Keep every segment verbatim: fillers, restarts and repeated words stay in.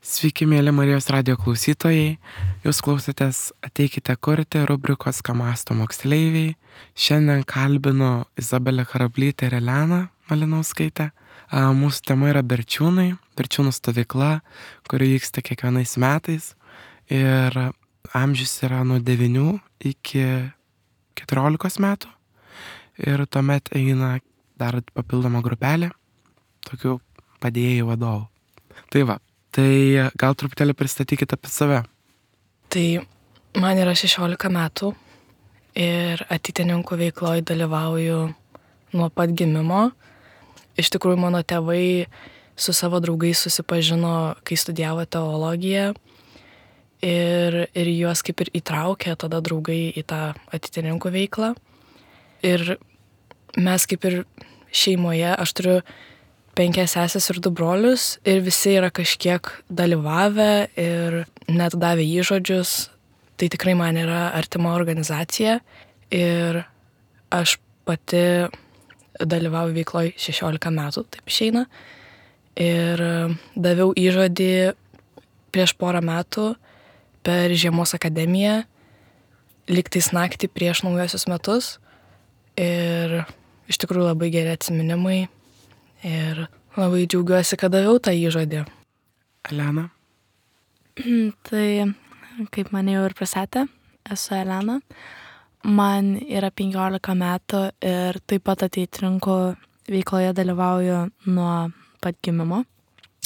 Sveiki, mėly Marijos radijo klausytojai. Jūs klausotės Ateikite kurti rubrikos Ką mąsto moksleiviai. Šiandien kalbinu Izabelę Harablytę ir Eleną Malinauskaitę. A, Mūsų tema yra Berčiūnai, Berčiūnų stovykla, kuri vyksta kiekvienais metais. Ir amžius yra nuo devynių iki keturiolikos metų. Ir tuomet eina dar papildoma grupelė, tokių padėjėjų vadovų. Tai va, tai gal truputėlį pristatykite apie save. Tai man yra šešiolika metų ir ateitininkų veikloje dalyvauju nuo pat gimimo. Iš tikrųjų, mano tėvai su savo draugais susipažino, kai studijavo teologiją ir, ir juos kaip ir įtraukė tada draugai į tą ateitininkų veiklą. Ir mes kaip ir šeimoje, aš turiu penkias sesės ir du brolius ir visi yra kažkiek dalyvavę ir net davė įžodžius. Tai tikrai man yra artima organizacija ir aš pati dalyvauju veikloje šešiolika metų, taip išeina. Ir daviau įžodį prieš porą metų per žiemos akademiją, lygtais naktį prieš naujosius metus. Ir iš tikrųjų labai geri atsiminimai ir labai džiaugiuosi, kad daviau tą įžodį. Elena? Tai, kaip mane jau ir pristatė, esu Elena. Man yra penkiolika metų ir taip pat ateitininkų veikloje dalyvauju nuo pat gimimo.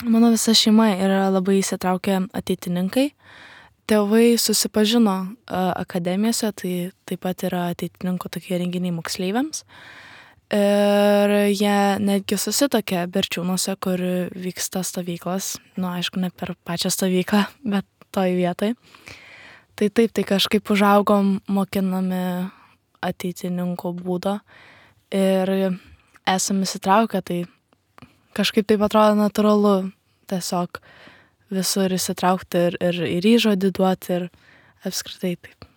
Mano visa šeima yra labai įsitraukę ateitininkai. Tėvai susipažino akademijose, tai taip pat yra ateitininkų tokie renginiai moksleiviams. Ir jie netgi susitokė Berčiūnuose, kur vyksta stovyklos. Nu, aišku, ne per pačią stovyklą, bet toj vietoj. Tai taip, tai kažkaip užaugom mokinami ateitininkų būdo ir esam įsitraukę, tai kažkaip taip atrodo natūralu tiesiog visur įsitraukti ir, ir, ir įžodį duoti ir apskritai taip.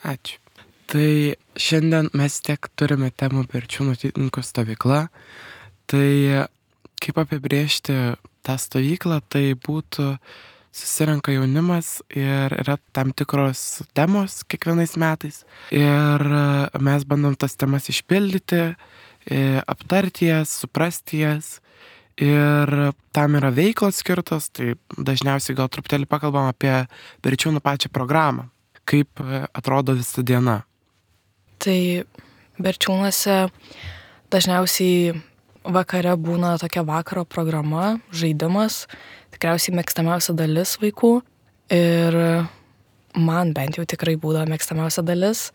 Ačiū. Tai šiandien mes tiek turime temų Berčiūnų ateitininkų stovykla. Tai kaip apibrėžti tą stovyklą, tai būtų susirenka jaunimas ir yra tam tikros temos kiekvienais metais. Ir mes bandom tas temas išpildyti, aptarti jas, suprasti jas. Ir tam yra veiklos skirtos, tai dažniausiai gal truputėlį pakalbam apie Berčiūnų pačią programą. Kaip atrodo visa diena. Tai Berčiūnuose dažniausiai vakare būna tokia vakaro programa, žaidimas, tikriausiai mėgstamiausia dalis vaikų. Ir man bent jau tikrai būdavo mėgstamiausia dalis.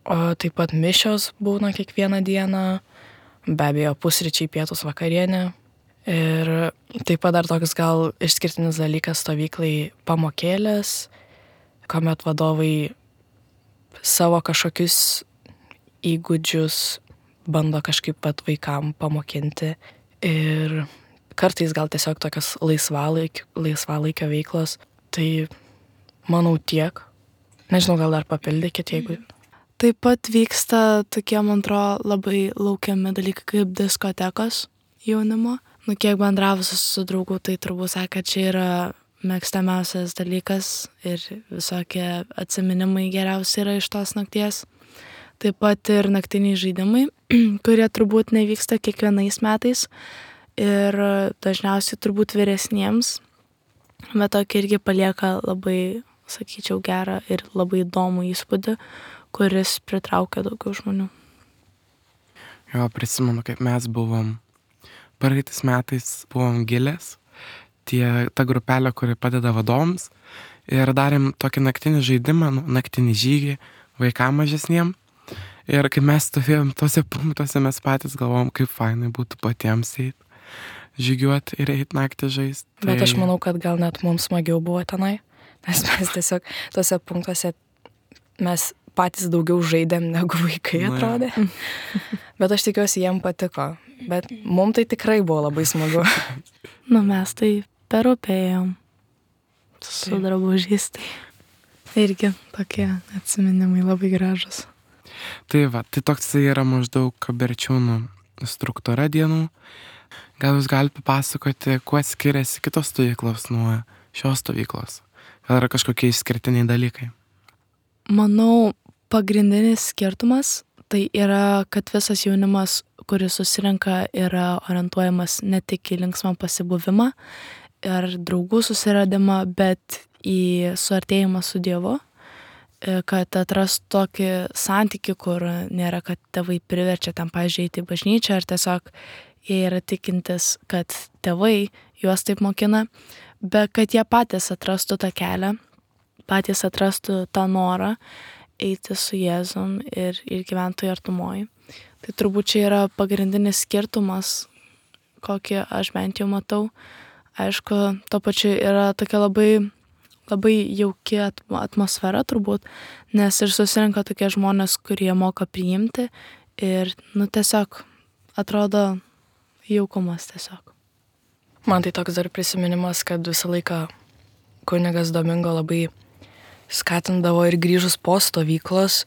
O taip pat mišios būna kiekvieną dieną, be abejo pusryčiai, pietus, vakarienė. Ir taip pat dar toks gal išskirtinis dalykas stovyklai pamokėlės, kuomet vadovai savo kažkokius įgūdžius bando kažkaip pat vaikam pamokinti. Ir kartais gal tiesiog tokios laisvalaikio, laisvalaikio veiklos. Tai manau tiek. Nežinau, gal dar papildykit, jeigu... Taip pat vyksta tokie, man atrodo, labai laukiami dalykai kaip diskotekos jaunimo. Nu, kiek bendravusi su draugu, tai turbūt sakė, kad čia yra mėgstamiausias dalykas ir visokie atsiminimai geriausi yra iš tos nakties. Taip pat ir naktiniai žaidimai, kurie turbūt nevyksta kiekvienais metais ir dažniausiai turbūt vyresniems, bet tokie irgi palieka labai, sakyčiau, gerą ir labai įdomų įspūdį, kuris pritraukia daugiau žmonių. Jo, prisimenu, kaip mes buvom. Praeitais metais buvom Gilės, tie, ta grupelė, kuri padeda vadovams, ir darėm tokį naktinį žaidimą, nu, naktinį žygį vaikam mažesniem. Ir kai mes stovėjom tose punktuose, mes patys galvom, kaip fainai būtų patiems eit, žygiuoti ir eit naktį žaist. Tai... Bet aš manau, kad gal net mums smagiau buvo tenai, nes mes tiesiog tose punktuose mes patys daugiau žaidėm negu vaikai atrodė. Bet aš tikiuosi, jiem patiko. Bet mums tai tikrai buvo labai smagu. Nu, mes tai per upėjom su drabužiais. Tai irgi tokie atsiminimai labai gražus. Tai va, tai toks yra maždaug Berčiūnų struktūra dienų. Gal jūs galite papasakoti, kuo skiriasi kitos stovyklos nuo šios stovyklos? Gal yra kažkokie išskirtiniai dalykai? Manau, pagrindinis skirtumas tai yra, kad visas jaunimas, kuris susirenka, yra orientuojamas ne tik į linksmą pasibuvimą ir draugų susiradimą, bet į suartėjimą su Dievu, kad atrastų tokį santykį, kur nėra, kad tėvai priverčia ten, pavyzdžiui, eiti į bažnyčią, ar tiesiog jie yra tikintis, kad tėvai juos taip mokina, bet kad jie patys atrastų tą kelią, patys atrastų tą norą eiti su Jėzum ir, ir gyventų artumoj. Tai turbūt čia yra pagrindinis skirtumas, kokį aš bent jau matau. Aišku, to pačiu yra tokia labai, labai jauki atmosfera turbūt, nes ir susirenka tokie žmonės, kurie moka priimti ir, nu, tiesiog atrodo jaukumas tiesiog. Man tai toks dar prisiminimas, kad visą laiką kunigas Domingo labai skatindavo ir grįžus po stovyklos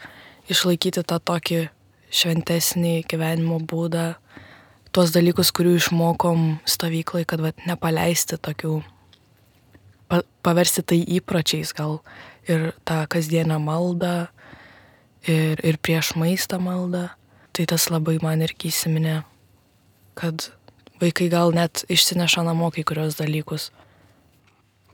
išlaikyti tą tokį šventesnį gyvenimo būdą, tuos dalykus, kurių išmokom stovyklai, kad vat, nepaleisti tokių, pa, paversti tai įpročiais gal ir tą kasdienę maldą ir, ir prieš maistą maldą. Tai tas labai man irgi įsiminė, kad vaikai gal net išsineša namo kai kurios dalykus.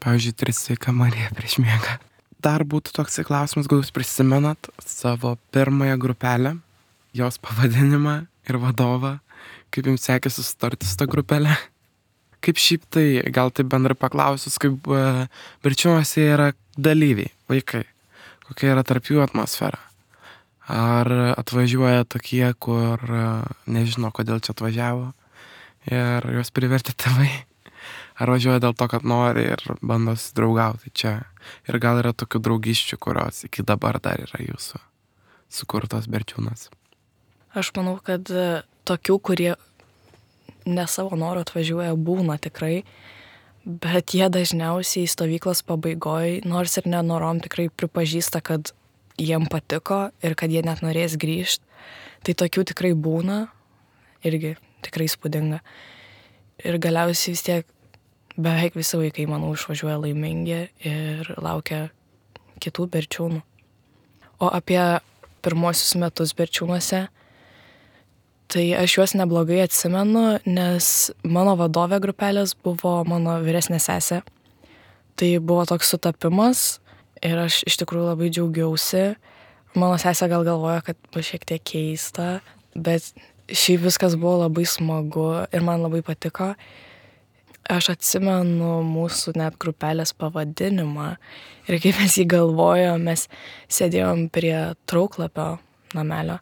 Pavyzdžiui, tris sveika Marija prieš miegą. Dar būtų toks klausimas, gal jūs prisimenat savo pirmąją grupelę, jos pavadinimą ir vadovą, kaip jums sekėsi susitarti su ta grupelė? Kaip šiaip tai, gal taip bendrai paklausus, kaip uh, Berčiūnuose yra dalyviai, vaikai, kokia yra tarp jų atmosfera? Ar atvažiuoja tokie, kur uh, nežino, kodėl čia atvažiavo ir juos privertė tėvai? Ar važiuoja dėl to, kad nori ir bando susidraugauti čia? Ir gal yra tokių draugiščių, kurios iki dabar dar yra jūsų sukurtos Berčiūnuose? Aš manau, kad tokių, kurie ne savo noro atvažiuoja, būna tikrai, bet jie dažniausiai stovyklos pabaigoj, nors ir nenorom, tikrai pripažįsta, kad jiem patiko ir kad jie net norės grįžti. Tai tokių tikrai būna, irgi tikrai įspūdinga. Ir galiausiai vis tiek beveik visi vaikai, manau, išvažiuoja laimingi ir laukia kitų Berčiūnų. O apie pirmosius metus Berčiūnuose, tai aš juos neblogai atsimenu, nes mano vadovė grupelės buvo mano vyresnė sesė. Tai buvo toks sutapimas ir aš iš tikrųjų labai džiaugiausi. Mano sesė gal galvoja, kad bus šiek tiek keista, bet šiaip viskas buvo labai smagu ir man labai patiko. Aš atsimenu mūsų net grupelės pavadinimą ir kaip mes jį galvojom, mes sėdėjom prie Trauklapio namelio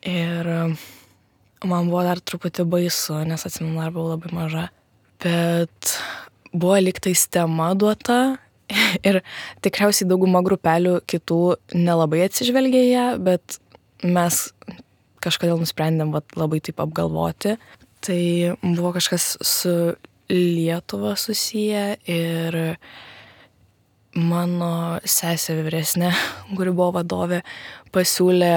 ir man buvo dar truputį baisu, nes atsimenu, dar buvau labai maža, bet buvo lygtais tema duota ir tikriausiai dauguma grupelių kitų nelabai atsižvelgė ją, bet mes kažkodėl nusprendėm vat, labai taip apgalvoti. Tai buvo kažkas su Lietuva susiję ir mano sesė vyresnė, kuri buvo vadovė, pasiūlė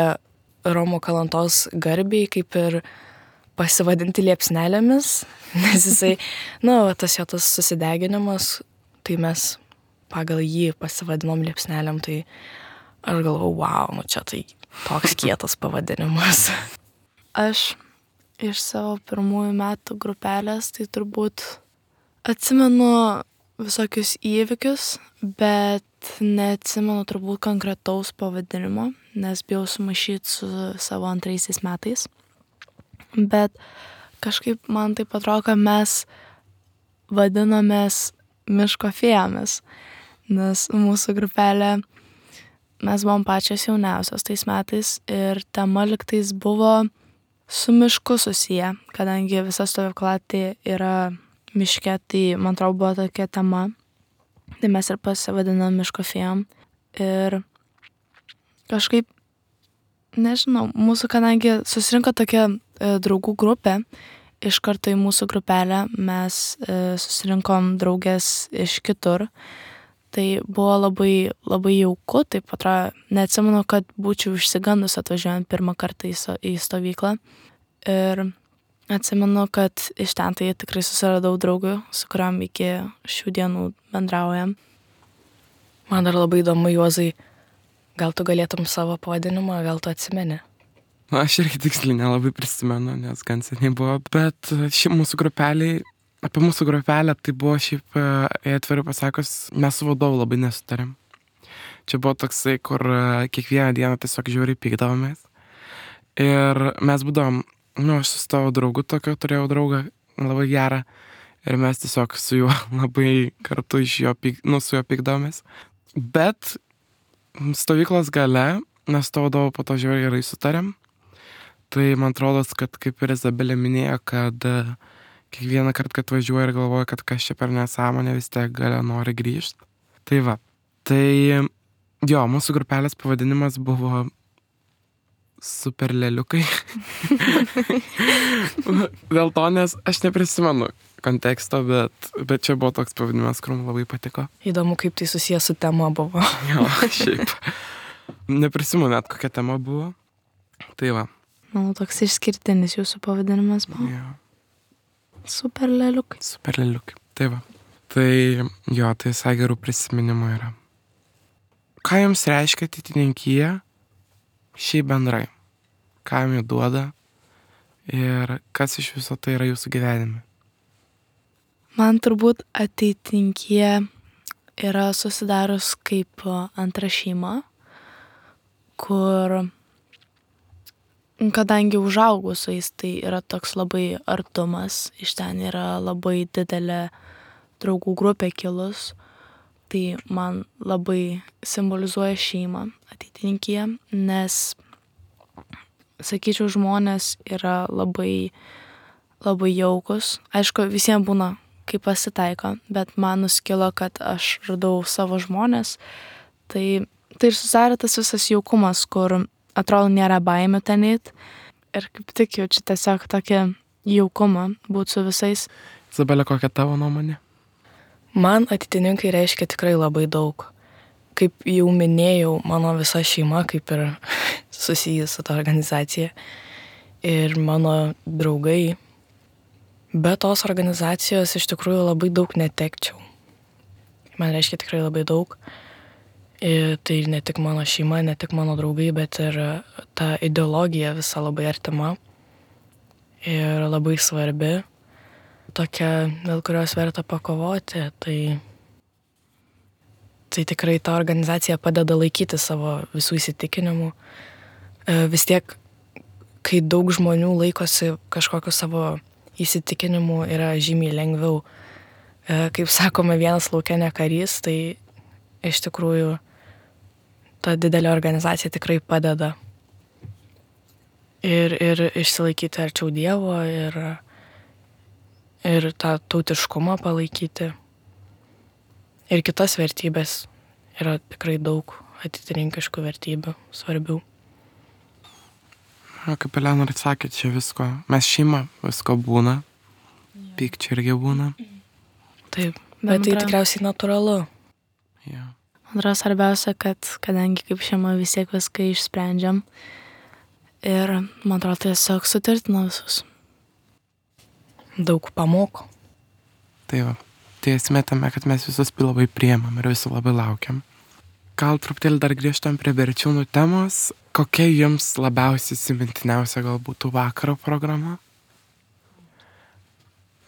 Romo Kalantos garbiai kaip ir pasivadinti liepsnelėmis, nes jisai, na, nu, tas jo tas susideginimas, tai mes pagal jį pasivadinom liepsnelėm, tai aš galvau, wow, nu čia tai toks kietas pavadinimas. Aš iš savo pirmųjų metų grupelės, tai turbūt atsimenu visokius įvykius, bet neatsimenu turbūt konkretaus pavadinimo, nes bijau sumaišyti su savo antraisiais metais. Bet kažkaip man taip atrodo, kad mes vadinomės miško fėjomis, nes mūsų grupelė, mes buvom pačios jauniausios tais metais ir tema lygtais buvo su mišku susiję, kadangi visa stovykla tai yra miške, tai man atrodo buvo tokia tema, tai mes ir pasivadinom miško fėjom ir kažkaip, nežinau, mūsų, kadangi susirinko tokia e, draugų grupė, iš karto į mūsų grupelę mes e, susirinkom draugės iš kitur, tai buvo labai, labai jauku, taip atrodo, neatsimenu, kad būčiau išsigandus atvažiuojant pirmą kartą į, so, į stovyklą. Ir Atsimenu, kad iš ten tai tikrai susiradau draugų, su kuriam iki šių dienų bendraujam. Man dar labai įdomu, Juozai, gal tu galėtum savo pavadinimą, gal tu atsimeni? Na, aš irgi tiksliai nelabai prisimenu, nes gan seniai buvo, bet šiaip mūsų grupeliai, apie mūsų grupelę tai buvo šiaip, jei atvirai pasakius, mes su vadovu labai nesutarėm. Čia buvo toksai, kur kiekvieną dieną tiesiog žiauriai pykdavomės. Ir mes būdavom, nu, aš su tavo draugu tokio turėjau draugą labai gerą ir mes tiesiog su juo labai kartu iš jo, pyk, nu, su juo pykdavomės. Bet stovyklos gale, nes to vadovu po to žiauriai gerai sutarėm. Tai man atrodo, kad kaip ir Izabelė minėjo, kad kiekvieną kartą, kad važiuoja ir galvoja, kad kas čia per nesąmonė, vis tiek gale nori grįžti. Tai va. Tai jo, mūsų grupelės pavadinimas buvo Super leliukai. Dėl to, nes aš neprisimenu konteksto, bet, bet čia buvo toks pavadinimas, kur man labai patiko. Įdomu, kaip tai susijęs su tema buvo. Jo, šiaip. Neprisimenu net, kokia tema buvo. Tai va. Manau, toks išskirtinis jūsų pavadinimas buvo. Jo. Super leliukai. Super leliukai. Tai va. Tai jo, tai visai gerų prisiminimų yra. Ką jums reiškia ateitininkija šiaip bendrai? Ką jums duoda? Ir kas iš viso tai yra jūsų gyvenime? Man turbūt ateitininkija yra susidarus kaip antra šeima, kur kadangi užaugau su jais, tai yra toks labai artumas, iš ten yra labai didelė draugų grupė kilus, tai man labai simbolizuoja šeimą ateitininkija, nes, sakyčiau, žmonės yra labai, labai jaukus. Aišku, visiems būna, kaip pasitaiko, bet man nuskilo, kad aš radau savo žmonės, tai, tai ir susidarė tas visas jaukumas, kur atrodo nėra baimė ten eit. Ir kaip tik jaučiu tiesiog tokį jaukumą būti su visais. Izabelė, kokia tavo nuomonė? Man ateitininkai reiškia tikrai labai daug. Kaip jau minėjau, mano visa šeima kaip ir susijęs su ta organizacija. Ir mano draugai. Be tos organizacijos iš tikrųjų labai daug netekčiau. Man reiškia tikrai labai daug. Ir tai ne tik mano šeima, ne tik mano draugai, bet ir ta ideologija visa labai artima ir labai svarbi, tokia, dėl kurios verta pakovoti. Tai, tai tikrai ta organizacija padeda laikyti savo visų įsitikinimų. Vis tiek, kai daug žmonių laikosi kažkokiu savo įsitikinimu, yra žymiai lengviau. Kaip sakome, vienas lauke ne karys, tai iš tikrųjų ta didelė organizacija tikrai padeda ir, ir išsilaikyti arčiau Dievo ir, ir tą tautiškumą palaikyti. Ir kitas vertybės yra tikrai daug ateitininkiškų vertybių, svarbių. Kaip Elena ir sakė, čia visko. Mes šeima, visko būna. Pykčių irgi būna. Taip, bet tai tikriausiai natūralu. Ja. Man atrodo svarbiausia, kad kadangi kaip šeima vis tiek viską išsprendžiam ir man atrodo tiesiog sutirtina visus. Daug pamoko. Tai va, tai esmė tame, kad mes visus labai priemam ir visi labai laukiam. Gal truputėlį dar grįžtam prie Berčiūnų temos. Kokia jums labiausiai įsimintiniausia gal būtų vakaro programa?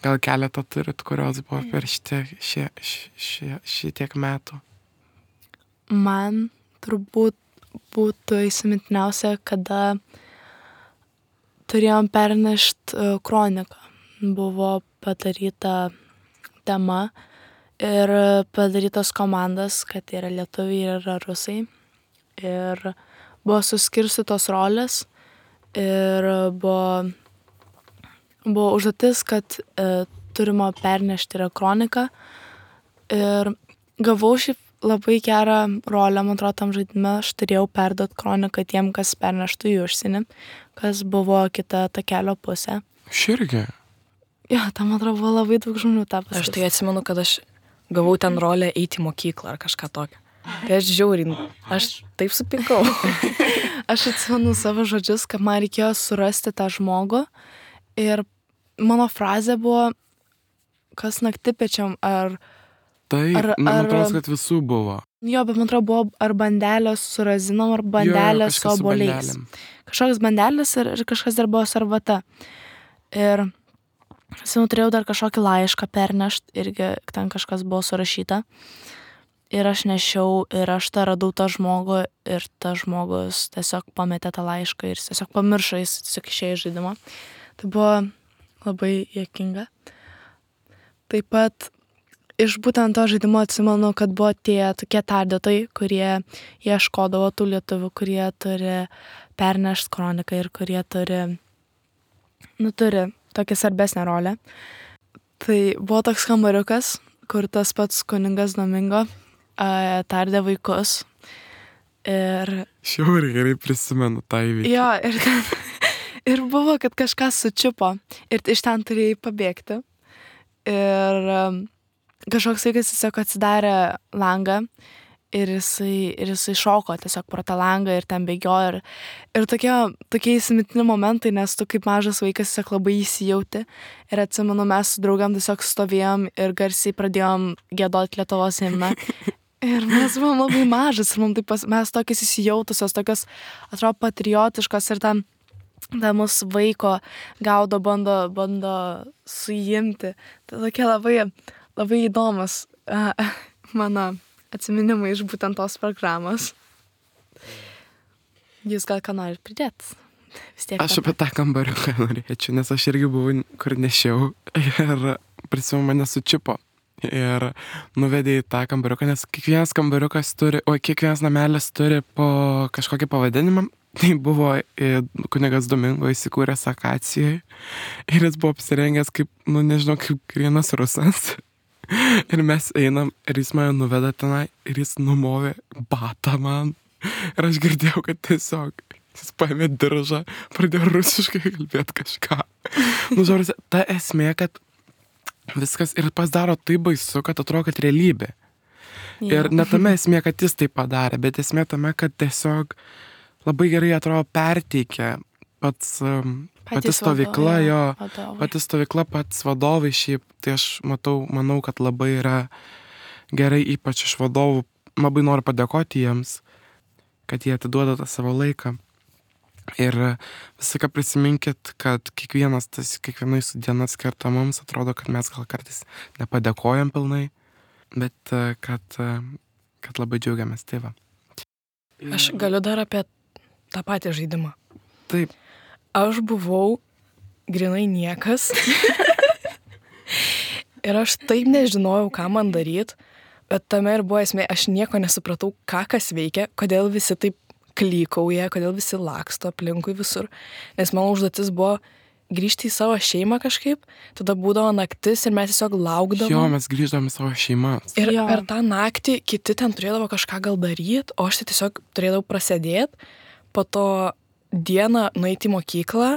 Gal keletą turit, kurios buvo per šitie, šie, šie, šitiek metų? Man turbūt būtų įsimintiniausia, kada turėjom pernešti kroniką. Buvo padaryta tema ir padarytos komandas, kad yra lietuviai ir yra rusai. Ir buvo suskirstytos rolės ir buvo, buvo užduotis, kad e, turime pernešti yra kroniką. Ir gavau šį labai gerą rolę, man atrodo, tam žaidime. Aš turėjau perduoti kroniką tiem, kas perneštų į užsienį, kas buvo kita ta kelio pusė. Širgi? Jo, tam, man atrodo, buvo labai daug žmonių tą pasakyti. Aš tai atsimenu, kad aš gavau ten rolę eiti į mokyklą ar kažką tokio. Tai aš žiauriai, aš taip supykau. Aš atsimenu savo žodžius, kad man reikėjo surasti tą žmogų ir mano frazė buvo, kas naktipečiam, ar... Taip, Ar- man ar- atrodo, kad visų buvo. Jo, bet man atrodo, buvo ar bandelės su razinom, ar bandelės su kažkas su oboliais. bandelėm. Kažkoks bandelės ir, ir kažkas dar buvo sarvata. Ir senu turėjau dar kažkokį laišką pernešt, irgi ten kažkas buvo surašyta. Ir aš nešiau, ir aš tą radau tą žmogų, ir tas žmogus tiesiog pametė tą laišką ir jis tiesiog pamiršo, jis tiesiog išėjo iš žaidimo. Tai buvo labai juokinga. Taip pat iš būtent to žaidimo atsimenu, kad buvo tie tokie tardėtojai, kurie ieškodavo tų lietuvių, kurie turi pernešt kroniką ir kurie turi, nu, turi tokią svarbesnę rolę. Tai buvo toks kambariukas, kur tas pats kuningas Domingo a, tardė vaikus. Ir Šiauriai gerai prisimenu tą įvykį. jo, ir ten, ir buvo, kad kažkas sučiupo ir iš ten turėjai pabėgti. Ir um, kažkoks vaikas tiesiog atsidarė langą ir jisai, ir jisai šoko tiesiog pro tą langą ir ten bėgiojo. Ir, ir tokie, tokie įsimintini momentai, nes tu kaip mažas vaikas tiesiog labai įsijauti. Ir atsimenu, mes su draugam tiesiog stovėjom ir garsiai pradėjom giedoti Lietuvos himną. Ir mes buvom labai mažas ir mums taip pas, mes tokios įsijautusios, tokios, atrodo, patriotiškos ir ten ta mūsų vaiko gaudo, bando, bando suimti. Tai tokie labai, labai įdomus uh, mano atsiminimai iš būtent tos programos. Jūs gal ką norit pridėti? Vis tiek. Aš apie tą kambariuką norėčiau, nes aš irgi buvau, kur nešiau ir prisimenu, mane sučiupo. Ir nuvedė į tą kambariuką, nes kiekvienas kambariukas turi, o kiekvienas namelis turi po kažkokį pavadinimą. Tai buvo kunigas Domingo įsikūręs Akacijoje ir jis buvo apsirengęs kaip, nu nežinau, kaip vienas rusas. Ir mes einam ir jis mane nuveda tenai ir jis numovė batą man. Ir aš girdėjau, kad tiesiog jis paėmė diržą, pradėjo rusiškai kalbėti kažką. Nu, žodžiu, ta esmė, kad viskas ir pasidaro taip baisu, kad atrodo, kad realybė. Ir ne tame esmė, kad jis tai padarė, bet esmė tame, kad tiesiog labai gerai atrodo perteikia pats, um, pati stovykla, jo, pati stovykla, pats vadovai šiaip, tai aš matau, manau, kad labai yra gerai, ypač iš vadovų, labai noriu padėkoti jiems, kad jie atiduoda tą savo laiką. Ir visą ką prisiminkit, kad kiekvienas, tas, kiekviena jūsų diena skirta mums, atrodo, kad mes gal kartais nepadėkojam pilnai, bet kad, kad labai džiaugiamės, tai va. Aš galiu dar apie tą patį žaidimą. Taip. Aš buvau grinai niekas. Ir aš taip nežinojau, ką man daryt, bet tame ir buvo esmė, aš nieko nesupratau, ką kas veikia, kodėl visi taip klykauja, kodėl visi laksto aplinkui visur. Nes mano užduotis buvo grįžti į savo šeimą kažkaip, tada būdavo naktis ir mes tiesiog laukdavom. Jo, mes grįždavom į savo šeimas. Ir Jo. per tą naktį kiti ten turėdavo kažką gal daryt, o aš tai tiesiog turėdavau prasėdėt, po to dieną nueiti į mokyklą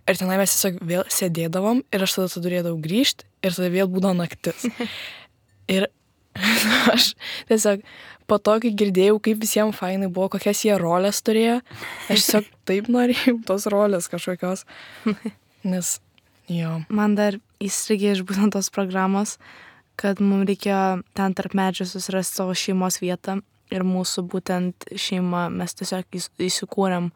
ir tenai mes tiesiog vėl sėdėdavom ir aš tada turėdavau grįžti ir tada vėl būdavo naktis. Ir aš tiesiog po to, kai girdėjau, kaip visiems fainai buvo, kokias jie rolės turėjo, aš tiesiog taip norėjau tos rolės kažkokios. Nes, jo. Man dar įstrigė iš būtent tos programos, kad mums reikėjo ten tarp medžių susirasti savo šeimos vietą ir mūsų būtent šeima, mes tiesiog įs- įsikūrėm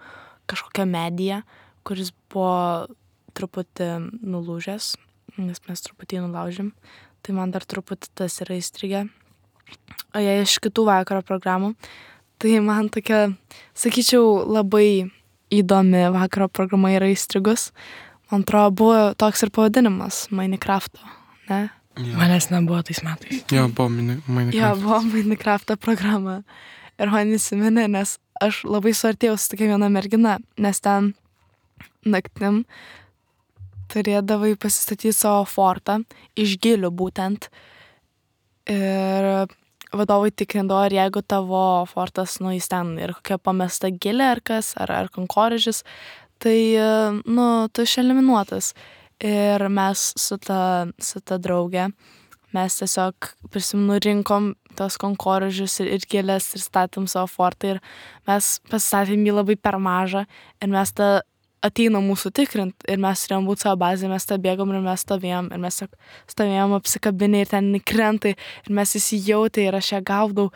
kažkokią mediją, kuris buvo truputį nulūžęs, nes mes truputį nulaužėm. Tai man dar truputį tas yra įstrigę. O jei iš kitų vakaro programų, tai man tokia, sakyčiau, labai įdomi vakaro programa yra įstrigus. Man atrodo, buvo toks ir pavadinimas Minecrafto, ne? Jo, Manęs nebuvo tais metais. jo buvo mini, Minecraft. Jo, buvo Minecrafto programa. Ir man įsiminė, nes aš labai suartėjau su tokia viena mergina, nes ten naktim turėdavai pasistatyti savo fortą, iš gilių būtent. Ir vadovai tikrindavo, ar jeigu tavo fortas, nu, jis ten ir kokia pamesta gilė ar kas, ar, ar kankorėžis, tai, nu, tu išeliminuotas. Ir mes su ta, su ta drauge, mes tiesiog, prisimenu, rinkom tos kankorėžius ir, ir gėlės ir statėm savo fortą ir mes pasistatėm jį labai per mažą ir mes tą ateina mūsų tikrint ir mes turėjom būt savo bazėje, mes tą bėgom ir mes stovėjom ir mes stovėjom apsikabinę ir ten krenta ir mes įsijautė ir aš ją gaudau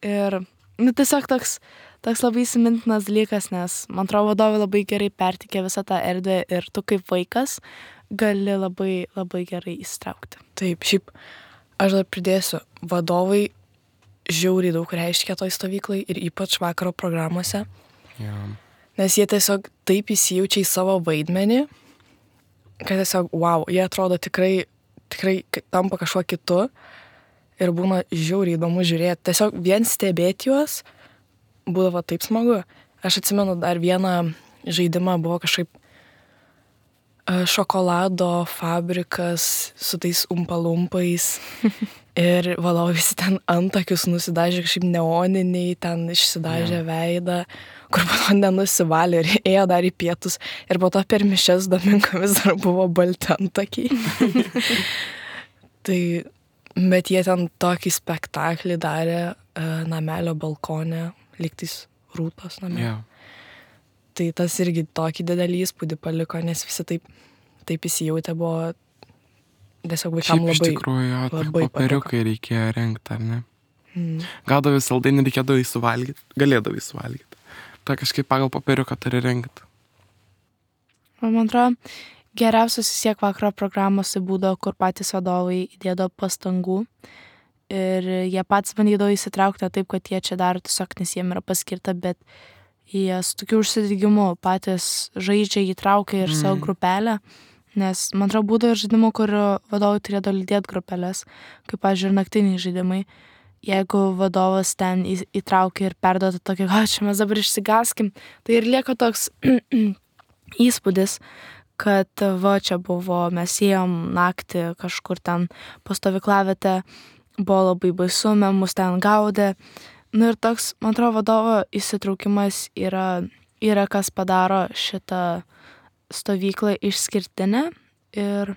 ir nu, tiesiog toks, toks labai įsimintinas dalykas, nes man atrodo vadovai labai gerai pertikė visą tą erdvę ir tu kaip vaikas gali labai, labai gerai įsitraukti. Taip, šiaip aš dar pridėsiu, vadovai žiauriai daug reiškia toj stovyklai ir ypač vakaro programuose, Yeah. nes jie tiesiog taip įsijaučia į savo vaidmenį, kad tiesiog, wow, jie atrodo tikrai, tikrai tampa kažkuo kitu ir būna žiauriai įdomu žiūrėti. Tiesiog vien stebėti juos būdavo taip smagu. Aš atsimenu dar vieną žaidimą, buvo kažkaip e, šokolado fabrikas su tais umpalumpais ir vadovai visi ten antakius nusidažė kažkaip neoniniai, ten išsidažė Yeah. veidą, kur po to nenusivalė ir ėjo dar į pietus ir po to per mišias Domingo vis dar buvo balti antakiai. Tai, bet jie ten tokį spektaklį darė e, namelio balkone, lygtais rūtos name. Yeah. Tai tas irgi tokį didelį įspūdį paliko, nes visi taip, taip įsijautė, buvo tiesiog vaikam Šiaip iš labai... tikrųjų, jo, tik labai popieriukai reikėjo rengti, ar ne? Mm. Gaudavai saldainį, reikėdavo įsuvalgyti, galėdavai įsuvalgyti. Tai kažkaip pagal popieriuką turi rengti. Man atrodo, geriausias vis tiek vakaro programos tai būdavo, kur patys vadovai įdėdavo pastangų ir jie patys bandydavo įsitraukti taip, kad jie čia daro tiesiog, nes jiem yra paskirta, bet jie su tokiu užsidegimu patys žaidžia, įtraukia ir mm. savo grupelę, nes man atrodo būdavo ir žaidimų, kur vadovai turėdavo lydėti grupelės, kaip, pavyzdžiui, ir naktiniai žaidimai. Jeigu vadovas ten į- įtraukia ir perduoda tokį, o čia mes dabar išsigaskim, tai ir lieka toks įspūdis, kad va čia buvo, mes ėjom naktį kažkur ten po stovyklavietę, buvo labai baisu, mus ten gaudė. Nu ir toks, man atrodo, vadovo įsitraukimas yra, yra kas padaro šitą stovyklą išskirtinę ir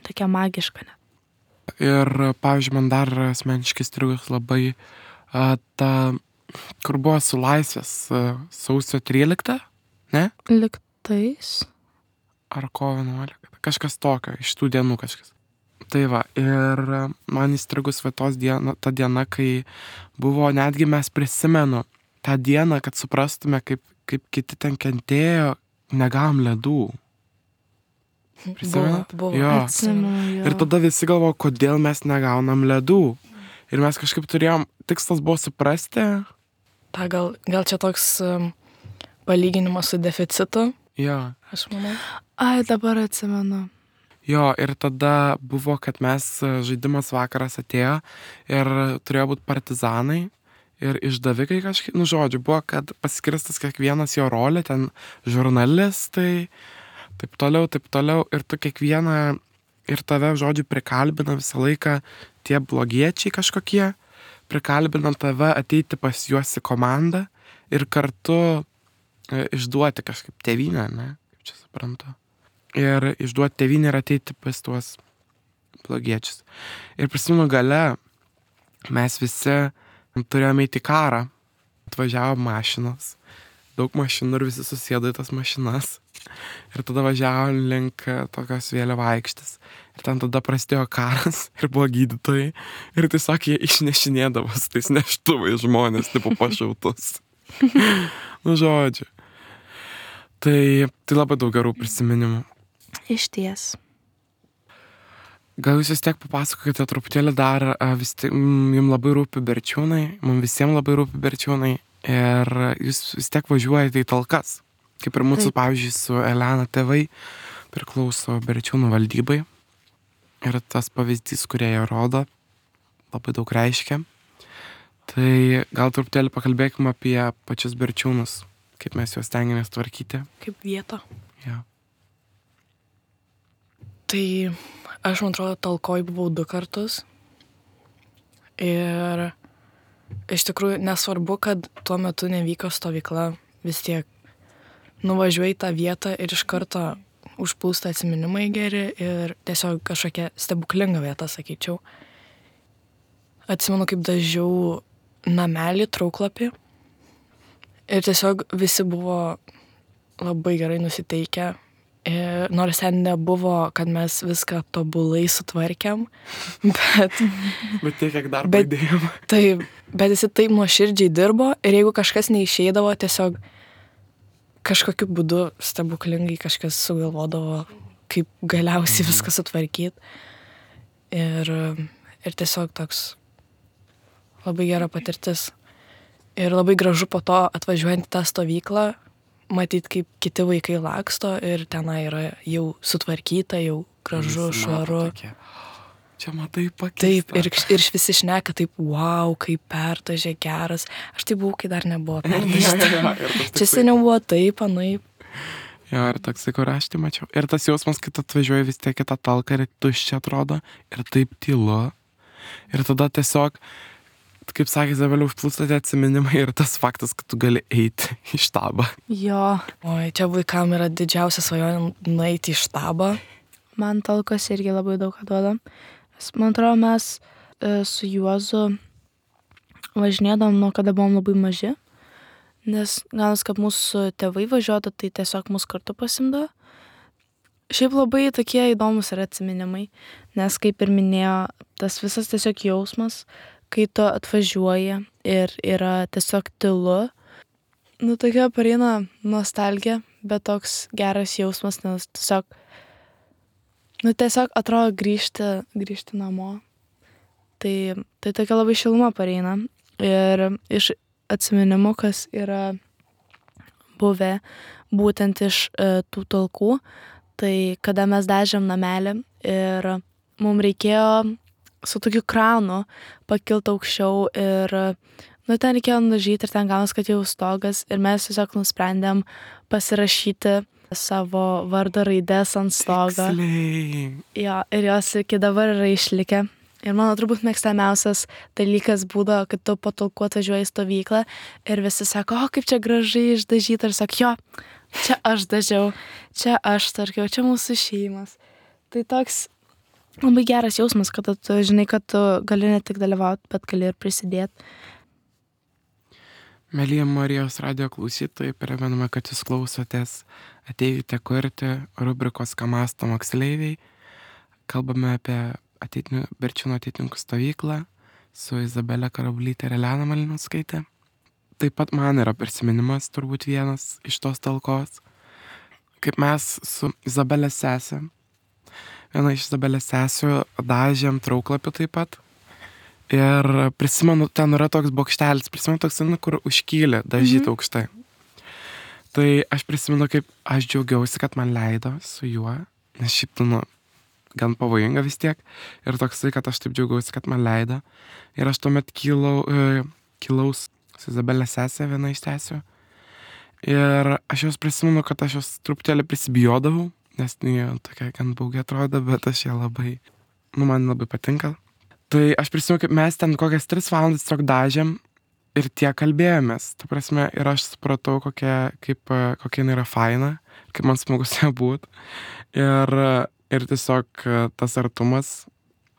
tokia magiška net. Ir, pavyzdžiui, man dar asmeniškai strigus labai a, ta, kur buvo su laisvės a, sausio tryliktą, ne? Liktais. Ar kovo vienuoliktą, kažkas tokio, iš tų dienų kažkas. Tai va, ir a, man įstrigus va tos diena, ta diena, kai buvo, netgi mes prisimenu tą dieną, kad suprastume, kaip, kaip kiti ten kentėjo, negavom ledų. Prisimenat? Buvo, buvo. Jo. Atsimenu, jo. Ir tada visi galvo, kodėl mes negaunam ledų. Ir mes kažkaip turėjom, tikslas buvo suprasti. Ta gal, gal čia toks um, palyginimas su deficitu, Jo. aš manau. Ai, dabar atsimenu. Jo, ir tada buvo, kad mes žaidimas vakaras atėjo ir turėjo būti partizanai ir išdavikai kažkaip, nu žodžiu, buvo, kad paskirstas kiekvienas jo rolė, ten žurnalistai, taip toliau, taip toliau, ir tu kiekvieną, ir tave, žodžiu, prikalbina visą laiką tie blogiečiai kažkokie, prikalbina tave ateiti pas juos į komandą ir kartu e, išduoti kažkaip tėvynę, ne, kaip čia suprantu. Ir išduoti tėvynę ir ateiti pas tuos blogiečius. Ir prisimenu gale, mes visi turėjome eiti į karą, atvažiavo mašinos, daug mašinų ir visi susėdo į tas mašinas. Ir tada važiavo link tokios vėliavo aikštės. Ir ten tada prasidėjo karas ir buvo gydytojai. Ir tiesiog jie išnešinėdavo su tais neštuvais žmonės, tipo pašautus. Nu, žodžiu. Tai, tai labai daug gerų prisiminimų. Išties. Gal jūs vis tiek papasakokite truputėlį dar, a, vis tiek, mm, jums labai rūpi Berčiūnai, mums visiems labai rūpi Berčiūnai ir jūs vis tiek važiuojate į talkas. Kaip ir mūsų, Taip. pavyzdžiui, su Elena tėvai priklauso Berčiūnų valdybai ir tas pavyzdys, kurie jie rodo, labai daug reiškia. Tai gal truputėlį pakalbėkime apie pačius Berčiūnus, kaip mes juos stengiamės tvarkyti. Kaip vieta. Ja. Tai aš, man atrodo, talkoj buvau du kartus. Ir iš tikrųjų nesvarbu, kad tuo metu nevyko stovykla, vis tiek nuvažiuoji į tą vietą ir iš karto užplūsta atsiminimai geri ir tiesiog kažkokia stebuklinga vieta, sakyčiau. Atsimenu, kaip dažiau namelį trauklapį ir tiesiog visi buvo labai gerai nusiteikę. Ir nors ten nebuvo, kad mes viską tobulai sutvarkėm, bet... Bet tiek, kiek darbo Bet- įdėjom. taip, bet jis taip nuoširdžiai dirbo ir jeigu kažkas neišeidavo, tiesiog kažkokiu būdu stebuklingai kažkas sugalvodavo, kaip galiausiai Mhm. viską sutvarkyti. Ir, ir tiesiog toks labai gera patirtis. Ir labai gražu po to atvažiuojant į tą stovyklą, matyti, kaip kiti vaikai laksto ir tenai yra jau sutvarkyta, jau gražu, Visi mato švaru. tokie, čia matai pakeista. Taip, ir, ir visi šneka taip, wow, kaip perdažė geras. Aš tai buvau, kai dar nebuvo Jo, perdažta. jo, ir tas Čia toksai- seniau buvo taip, anaip. Jo, ir toksai, kur aš tai mačiau. Ir tas jausmas, kai tu atvažiuoji vis tiek į tą talką ir tuščia atrodo, ir taip tylu. Ir tada tiesiog, kaip sakė Izabelė, užplūsta tie atsiminimai ir tas faktas, kad tu gali eiti į štabą. Jo, Oi, čia vaikam yra didžiausia svajonė nueiti į štabą. man talkos irgi labai daug ką duoda. Nes, man atrodo, mes e, su Juozu važinėdavom nuo kada buvom labai maži. Nes galas, kad mūsų tėvai važiuotų, tai tiesiog mus kartu pasimdavo. Šiaip labai tokie įdomus yra atsiminimai, nes kaip ir minėjo, tas visas tiesiog jausmas, kai tu atvažiuoji ir yra tiesiog tylu. Nu, tokia pareina nostalgija, bet toks geras jausmas, nes tiesiog, nu, tiesiog atrodo grįžti, grįžti namo. Tai, tai tokia labai šiluma pareina. Ir iš atsiminimų, kas yra buvę būtent iš e, tų talkų, tai kada mes dažėm namelį ir mums reikėjo su tokiu kranu pakilti aukščiau ir, nu, ten reikėjo nudažyti ir ten gaunas, kad jau stogas ir mes tiesiog nusprendėm pasirašyti savo vardo raides ant stogo. Tiksliai. Jo, ir jos iki dabar yra išlikę. Ir mano turbūt mėgstamiausias dalykas būdavo, kad tu po talkų atvažiuoji į stovyklą ir visi sako, o kaip čia gražiai išdažyta. Ir sako, jo, čia aš dažiau, čia aš tarkiau, čia mūsų šeimas. Tai toks labai geras jausmas, kad tu žinai, kad tu gali ne tik dalyvauti, bet gali ir prisidėti. Mėlyje Marijos radio klausytojai, primename, kad jūs klausotės Ateikite kurti rubrikos Ką mąsto moksleiviai. Kalbame apie ateitinių, Berčiūnų ateitininkų stovyklą su Izabelė Karablytė ir Elena Malinauskaitė. Taip pat man yra prisiminimas turbūt vienas iš tos talkos, kaip mes su Izabelės sesė, viena iš Izabelės sesių, dažėm trauklapių taip pat. Ir prisimenu, ten yra toks bokštelis, prisimenu toks, nu, kur užkylė dažyti Mhm. aukštai. Tai aš prisimenu, kaip aš džiaugiausi, kad man leido su juo, nes šiaip, tu, nu, gan pavojinga vis tiek. Ir toksai, kad aš taip džiaugiausi, kad man leido. Ir aš tuomet kilau, e, kilaus su Izabelės sesė, viena iš sesių. Ir aš jos prisimenu, kad aš jos truputėlį prisibijodavau, nes jie tokia gan baugiai atrodo, bet aš ją labai, nu, man labai patinka. Tai aš prisimenu, kaip mes ten kokias tris valandas tiesiog dažėm ir tiek kalbėjomės. Ta prasme, ir aš supratau, kokia, kaip, e, kokia jinai yra faina, kaip man smagu su ja būt. Ir, ir tiesiog e, tas artumas,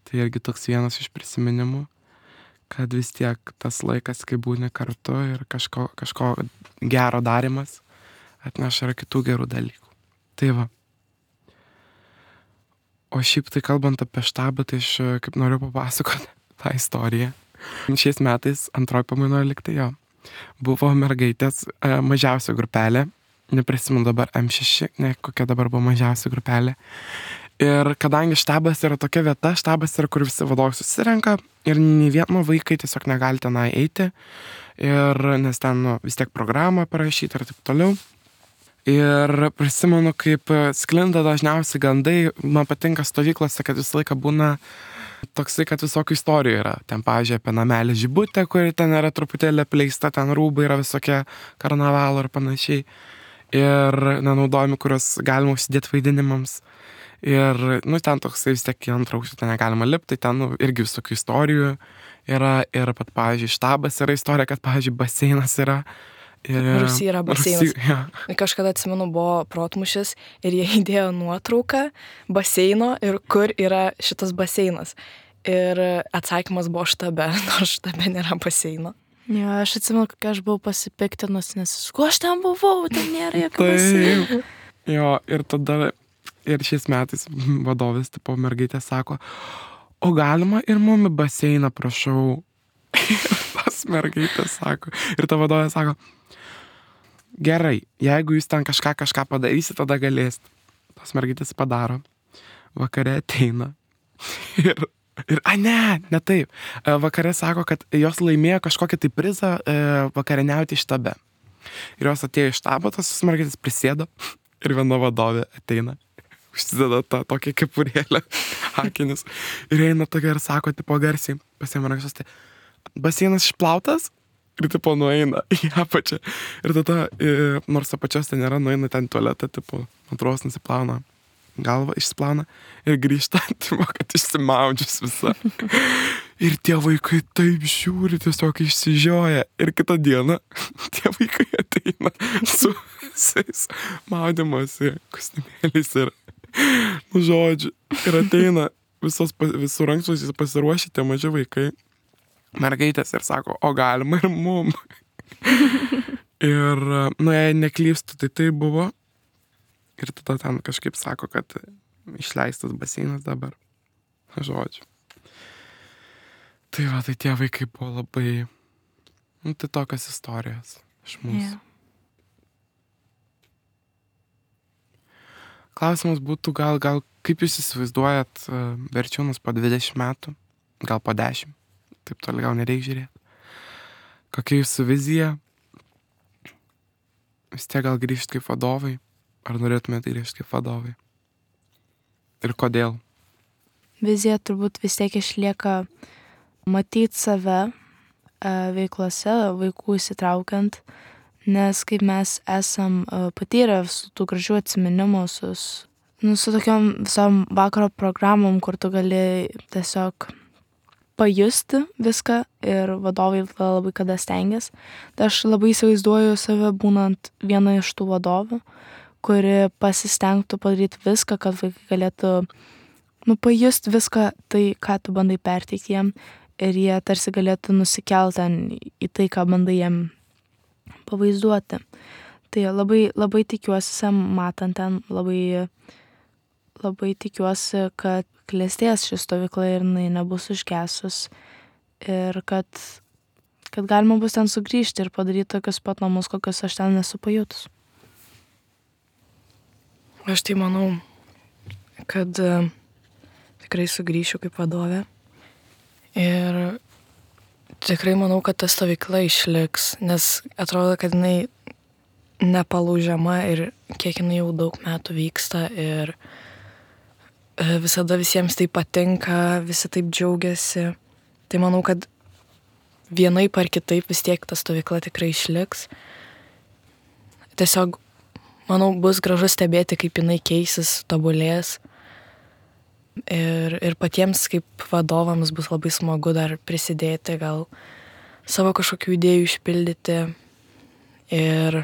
tai irgi toks vienas iš prisiminimų, kad vis tiek tas laikas, kai būni kartu ir kažko, kažko gero darimas atneša ir kitų gerų dalykų. Tai va. O šiaip tai kalbant apie štabą, tai aš e, kaip noriu papasakoti tą istoriją. Šiais metais antroji pamainoje liktai jo. Buvo mergaitės e, mažiausia grupelė, neprisimenu dabar M šeši, ne kokia dabar buvo mažiausia grupelė. Ir kadangi štabas yra tokia vieta, štabas yra, kur visi vadovai susirenka ir nei vieno vaikai tiesiog negali tenai eiti, ir, nes ten nu, vis tiek programą parašyti ir taip toliau. Ir prisimenu, kaip sklinda dažniausiai gandai, man patinka stovyklose, kad visą laiką būna toksai, kad visokių istorijų yra. Ten, pavyzdžiui, apie namelį Žibutę, kuri ten yra truputėlį apleista, ten rūbai yra visokie karnavalo ir panašiai. Ir nenaudojami, kuriuos galima užsidėti vaidinimams. Ir, nu, ten toksai vis tiek į antrą aukštą ten negalima lipti, tai ten, nu, irgi visokių istorijų yra. Ir pat, pavyzdžiui, štabas yra istorija, kad, pavyzdžiui, baseinas yra. Ir, Rūsy yra baseinas. Rūsy, ja. Kažkada atsimenu, buvo protmušis ir jie įdėjo nuotrauką baseino ir kur yra šitas baseinas. Ir atsakymas buvo štabe, nors štabe nėra baseino. Jo, aš atsimenu, kokia aš buvau pasipiktinus, nes ko aš ten buvau, ten nėra jokio baseino. Taip. Jo, ir tada, ir šiais metais vadovės, tipo, mergaitė sako, o galima ir mum į baseiną, prašau. Tas mergaitė sako. Ir ta vadovė sako, gerai, jeigu jūs ten kažką kažką padarysit, tada galėsit. Tas mergaitės padaro. Vakare ateina. Ir, ir a ne, ne taip. Vakare sako, kad jos laimėjo kažkokį tai prizą e, vakarieniauti štabe. Ir jos atėjo iš štabo, tas mergaitės prisėdo ir viena vadovė ateina. Užsideda tą tokią kepurėlę, akinius. Ir eina tokia ir sako, tipo garsiai, pasiėmė rankšas, tai baseinas išplautas ir tipo nueina į apačią. Ir tada, e, nors apačios ten nėra, nueina ten tualetą, tipo, antros nusiplauna galvą, išsiplauna ir grįžta, tipo, kad išsimaudžius visą. Ir tie vaikai taip žiūri, tiesiog išsižioja. Ir kitą dieną tie vaikai ateina su visais maudymosi kostiumėliais ir, nu žodžiu, ir ateina visos, visų rankšluosčiais pasiruošę tie maži vaikai, mergaitės ir sako, o galima ir mum. Ir, nu, jei neklystu, tai tai buvo. Ir tada ten kažkaip sako, kad išleistas baseinas dabar. Žodžiu. Tai va, tai tie vaikai buvo labai, nu, tai tokios istorijos iš mūsų. Yeah. Klausimas būtų gal, gal kaip jūs įsivaizduojat Berčiūnus po dvidešimt metų, gal po dešimt, taip toli gal nereik žiūrėti. Kokia jūsų vizija? Vis tiek gal grįžti kaip vadovai? Ar norėtumėte grįžti kaip vadovai? Ir kodėl? Vizija turbūt vis tiek išlieka matyti save veiklose, vaikų įsitraukiant, nes kaip mes esam patyrę su tų gražių atsiminimų, su, nu, su tokiom visom vakaro programom, kur tu gali tiesiog pajusti viską ir vadovai labai kada stengiasi. Tai aš labai įsivaizduoju save būnant viena iš tų vadovų, kuri pasistengtų padaryti viską, kad vaikai galėtų, nu, pajusti viską tai, ką tu bandai perteikti jiem ir jie tarsi galėtų nusikelti ten į tai, ką bandai jiem pavaizduoti. Tai labai, labai tikiuosi, matant ten, labai, labai tikiuosi, kad klestės ši stovykla ir jinai nebus užgesus ir kad, kad galima bus ten sugrįžti ir padaryti tokius pat namus, kokius aš ten nesu pajutus. Aš tai manau, kad uh, tikrai sugrįšiu kaip vadovė ir tikrai manau, kad ta stovykla išliks, nes atrodo, kad jinai nepalaužiama ir kiek jinai jau daug metų vyksta ir uh, visada visiems tai patinka, visi taip džiaugiasi. Tai manau, kad vienaip ar kitaip vis tiek ta stovykla tikrai išliks. Tiesiog manau, bus gražu stebėti, kaip jinai keisis, tobulės. Ir, ir patiems kaip vadovams bus labai smagu dar prisidėti, gal savo kažkokių idėjų išpildyti ir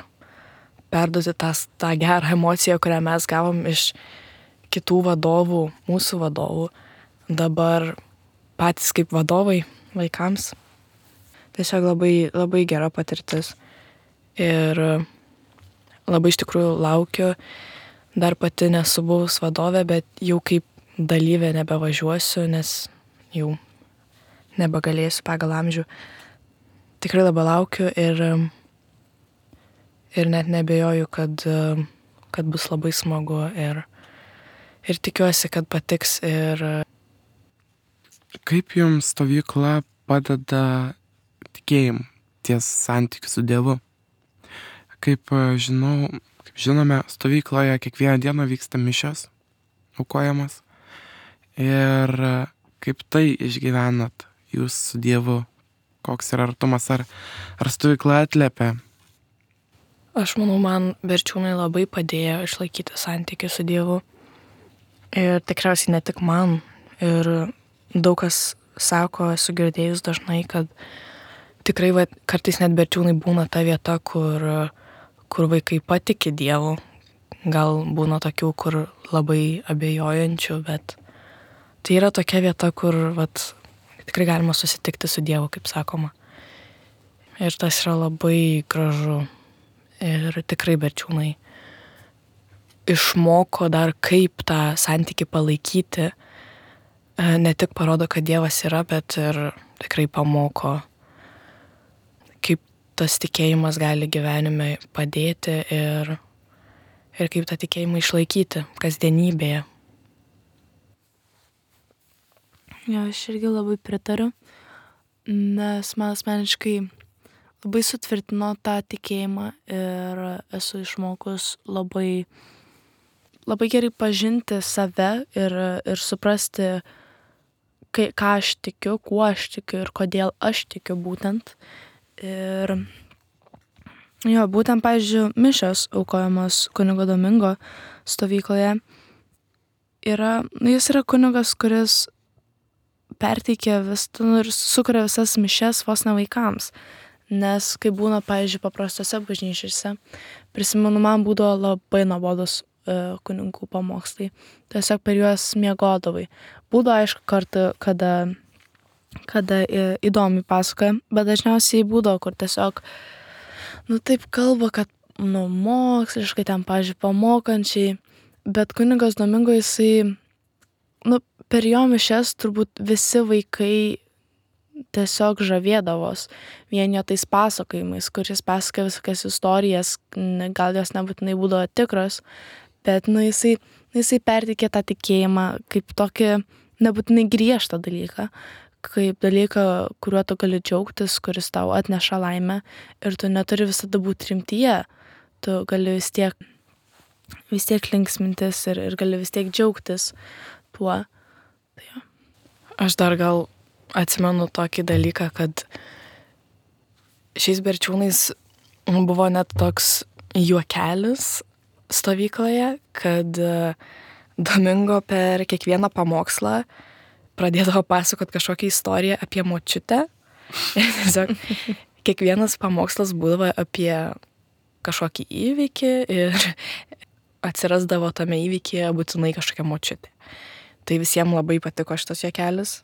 perduoti tą, tą gerą emociją, kurią mes gavom iš kitų vadovų, mūsų vadovų. Dabar patys kaip vadovai vaikams. Tiesiog labai, labai gera patirtis. Ir labai iš tikrųjų laukiu, dar pati nesu buvus vadovė, bet jau kaip dalyvė nebevažiuosiu, nes jau nebegalėsiu pagal amžių. Tikrai labai laukiu ir, ir net nebejoju, kad, kad bus labai smagu ir, ir tikiuosi, kad patiks. Ir kaip jums stovykla padeda tikėjimu ties santykiu su Dievu? Kaip žinau, kaip žinome, stovykloje kiekvieną dieną vyksta mišios, aukojamos. Ir kaip tai išgyvenat jūs su Dievu? Koks yra artumas? Ar, ar stovykla atliepia? Aš manau, man Berčiūnai labai padėjo išlaikyti santykį su Dievu. Ir tikriausiai ne tik man. Ir daug kas sako, esu girdėjus dažnai, kad tikrai va, kartais net Berčiūnai būna ta vieta, kur kur vaikai patiki Dievu. Gal būna tokių, kur labai abejojančių, bet tai yra tokia vieta, kur vat, tikrai galima susitikti su Dievu, kaip sakoma. Ir tas yra labai gražu. Ir tikrai Berčiūnai išmoko dar kaip tą santykį palaikyti. Ne tik parodo, kad Dievas yra, bet ir tikrai pamoko, kaip tas tikėjimas gali gyvenime padėti ir, ir kaip tą tikėjimą išlaikyti kasdienybėje. Jo, aš irgi labai pritariu, nes man asmeniškai labai sutvirtino tą tikėjimą ir esu išmokus labai, labai gerai pažinti save ir, ir suprasti, kai, ką aš tikiu, kuo aš tikiu ir kodėl aš tikiu būtent. Ir jo, būtent, pavyzdžiui, mišios aukojamos kunigo Domingo stovykloje yra, jis yra kunigas, kuris perteikia vis, nu, ir sukuria visas mišias vos ne vaikams. Nes kai būna, pavyzdžiui, paprastose bažnyčiose, prisimenu, man būdavo labai nuobodus e, kunigų pamokslai. Tiesiog per juos miegodavai. Būdavo, aišku, kartu, kada, kada įdomiai pasakoja, bet dažniausiai būdavo, kur tiesiog, nu taip kalba, kad, nu, moksliškai ten, pavyzdžiui, pamokančiai, bet kunigas Domingo jisai, nu, per jo mišias turbūt visi vaikai tiesiog žavėdavos vien jo tais pasakojimais, kuris pasakoja visokias istorijas, gal jos nebūtinai būdavo tikros, bet nu, jisai, jisai perteikė tą tikėjimą kaip tokį nebūtinai griežtą dalyką, kaip dalyką, kuriuo tu gali džiaugtis, kuris tau atneša laimę ir tu neturi visada būti rimtyje, tu gali vis tiek, vis tiek linksmintis ir, ir gali vis tiek džiaugtis tuo. Tai jo. Aš dar gal atsimenu tokį dalyką, kad šiais Berčiūnais buvo net toks juokelis stovykloje, kad Domingo per kiekvieną pamokslą pradėdavo pasakot kažkokią istoriją apie močiutę. Ir tiesiog kiekvienas pamokslas būdavo apie kažkokį įvykį ir atsirasdavo tame įvykyje būtinai kažkokia močiutė. Tai visiems labai patiko šitas juokelis.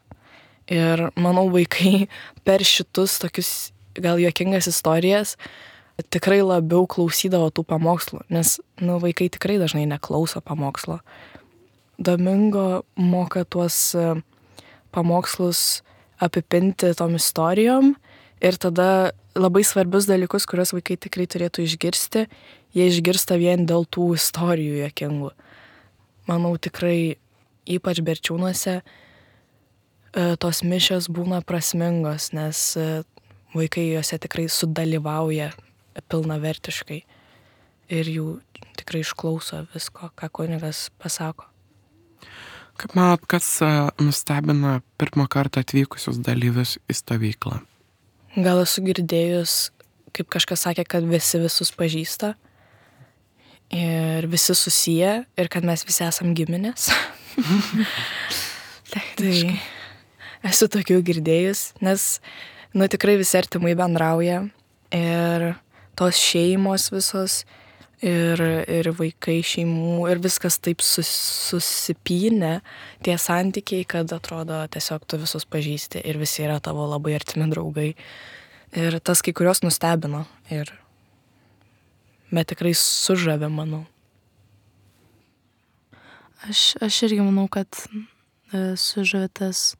Ir manau, vaikai per šitus tokius gal juokingas istorijas tikrai labiau klausydavo tų pamokslų, nes nu, vaikai tikrai dažnai neklauso pamokslo. Domingo moka tuos pamokslus apipinti tom istorijom ir tada labai svarbius dalykus, kuriuos vaikai tikrai turėtų išgirsti, jie išgirsta vien dėl tų istorijų juokingų. Manau, tikrai ypač Berčiūnuose tos mišios būna prasmingos, nes vaikai juose tikrai sudalyvauja pilnavertiškai ir jų tikrai išklauso visko, ką kunigas pasako. Kaip manot, kas nustebina pirmą kartą atvykusius dalyvius į stovyklą? Gal esu girdėjus, kaip kažkas sakė, kad visi visus pažįsta ir visi susiję ir kad mes visi esam giminės. Tai esu tokių girdėjus, nes nu, tikrai visi artimai bendrauja ir tos šeimos visos ir, ir vaikai šeimų ir viskas taip sus, susipynė tie santykiai, kad atrodo tiesiog tu visus pažįsti ir visi yra tavo labai artimi draugai. Ir tas kai kurios nustebino ir bet tikrai sužavė, manau. Aš, aš irgi manau, kad e, sužavė tas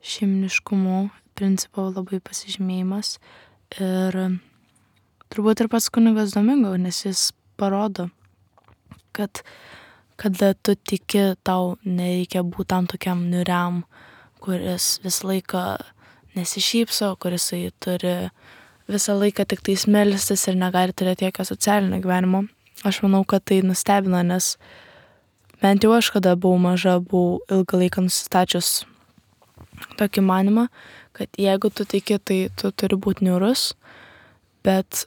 šeiminiškumo principo labai pasižymėjimas ir turbūt ir pats kunigas Domingo, nes jis parodo, kad kada tu tiki, tau nereikia būti tam tokiam niuriam, kuris visą laiką nesišypso, kuris turi visą laiką tik tais melstis ir negali turėti jokio socialinio gyvenimo. Aš manau, kad tai nustebino, nes bent jau aš, kada buvau maža, buvau ilgą laiką nusistačius tokį manimą, kad jeigu tu tiki, tai tu turi būti niurus, bet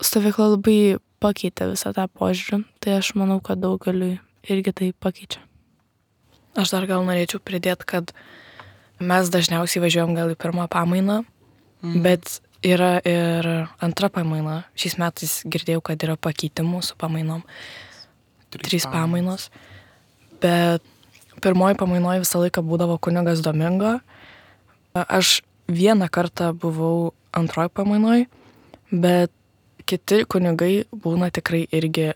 stovykla labai pakeitė visą tą požiūrį, tai aš manau, kad daugeliui irgi tai pakeičia. Aš dar gal norėčiau pridėti, kad mes dažniausiai važiuojam gal į pirmą pamainą, mm. bet yra ir antra pamaina. Šiais metais girdėjau, kad yra pakeitimų su pamainom. Trys, Trys pamainos. Bet pirmoji pamainoje visą laiką būdavo kunigas Domingo. Aš vieną kartą buvau antroj pamainoj, bet kiti kunigai būna tikrai irgi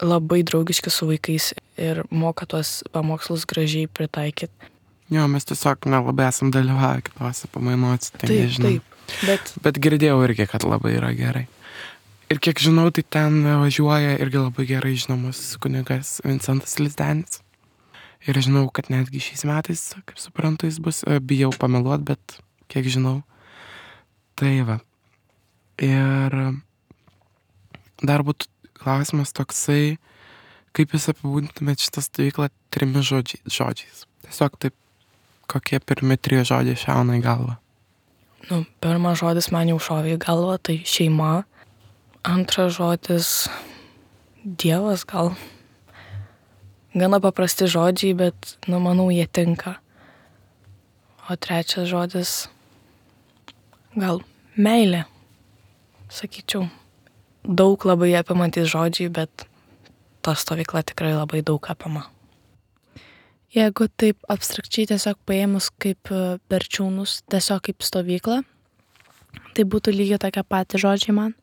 labai draugiški su vaikais ir moka tuos pamokslus gražiai pritaikyti. Jo, mes tiesiog nelabai esam dalyvavę kitose pamainuose, tai Taip, nežinau. taip, bet Bet girdėjau irgi, kad labai yra gerai. Ir kiek žinau, tai ten važiuoja irgi labai gerai žinomas kunigas Vincentas Lizdenis. Ir žinau, kad netgi šiais metais, kaip suprantu, jis bus, e, bijau pameluot, bet kiek žinau. Tai va. Ir dar būtų klausimas toksai, kaip jūs apibūdintumėt šitą stovyklą trimis žodžiai, žodžiais. Tiesiog taip, kokie pirmi trys žodžiai šauna į galvą. nu, pirmas žodis man jau šovė į galvą, tai šeima. Antras žodis Dievas gal. Gana paprasti žodžiai, bet, nu, manau, jie tinka. O trečias žodis gal meilė, sakyčiau. Daug labai apimantis žodžiai, bet ta stovykla tikrai labai daug apima. Jeigu taip abstrakčiai tiesiog paėmus kaip e, Berčiūnus, tiesiog kaip stovyklą, tai būtų lygiai tokie patys žodžiai man.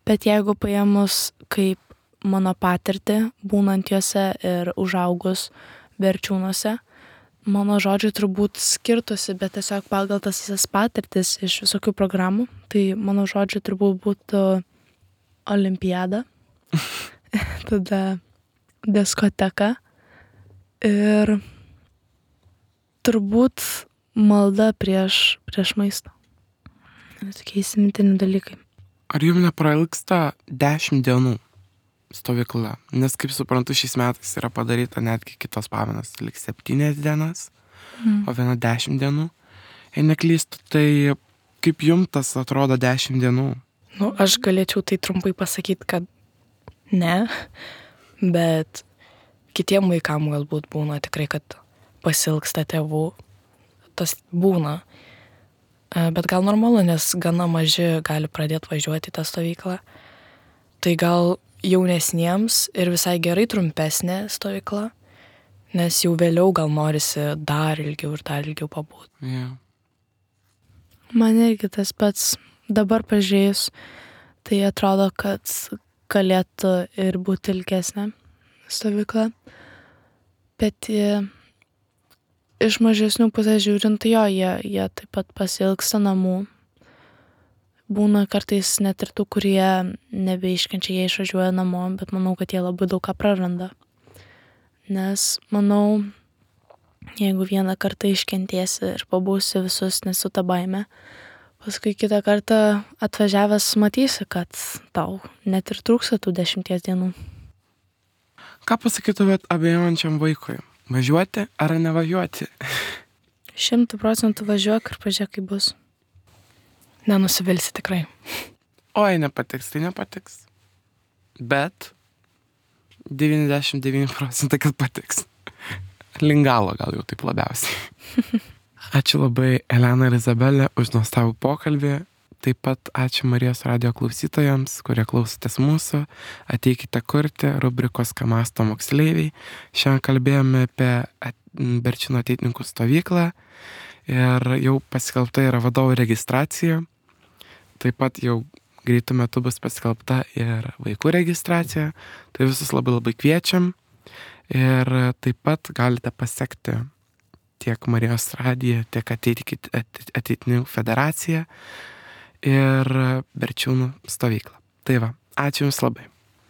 Bet jeigu paėmus kaip mano patirtį, būnant juose ir užaugus Berčiūnuose, mano žodžiai turbūt skirtusi, bet tiesiog pagal tas visas patirtis iš visokių programų, tai mano žodžiai turbūt būtų olimpiada, tada diskoteka ir turbūt malda prieš, prieš maistą. Tokie įsimintini dalykai. Ar jums neprailgsta dešimt dienų stovykla? Nes, kaip suprantu, šiais metais yra padaryta netgi kitos pamainos, lik septynias dienas, Mm. o viena dešimt dienų. Jei neklystu, tai kaip jums tas atrodo dešimt dienų? Nu, aš galėčiau tai trumpai pasakyti, kad ne, bet kitiem vaikam galbūt būna tikrai, kad pasilgsta tėvų. Tas būna. E, Bet gal normalu, nes gana maži gali pradėti važiuoti į tą stovyklą. Tai gal jaunesniems ir visai gerai trumpesnė stovykla, nes jau vėliau gal norisi dar ilgiau ir dar ilgiau pabūti. Yeah. Man irgi tas pats dabar pažiūrėjus, tai atrodo, kad galėtų ir būti ilgesnė stovykla. Bet e, iš mažesnių pusės žiūrint, tai jo, jie, jie taip pat pasilgsta namų. Būna kartais net ir tų, kurie nebeiškenčia, jie išvažiuoja namo, bet manau, kad jie labai daug ką praranda. Nes manau, jeigu vieną kartą iškentiesi ir pabūsi visus nesu tą baimę, paskui kitą kartą atvažiavęs matysi, kad tau net ir trūksta tų dešimties dienų. Ką pasakytumėt abejojančiam vaikui? Važiuoti ar nevažiuoti? Šimtų procentų važiuok ir pažiūrėk, kaip bus. Nenusivilsi tikrai. Oi, nepatiks, tai nepatiks. Bet devyniasdešimt devyni procentai, kad patiks. Lingalo gal jau taip labiausiai. Ačiū labai Elena ir Izabelė už nuostabų pokalbį. Taip pat ačiū Marijos radijo klausytojams, kurie klausotės mūsų. Ateikite kurti rubrikos Ką mąsto moksleiviai. Šiandien kalbėjome apie Berčiūnų ateitininkų stovyklą ir jau paskelbta yra vadovų registracija. Taip pat jau greitų metų bus paskelbta ir vaikų registracija. Tai visus labai labai kviečiam. Ir taip pat galite pasekti tiek Marijos radiją, tiek ateitininkų federaciją ir Berčiūnų stovyklą. Tai va, ačiū Jums labai.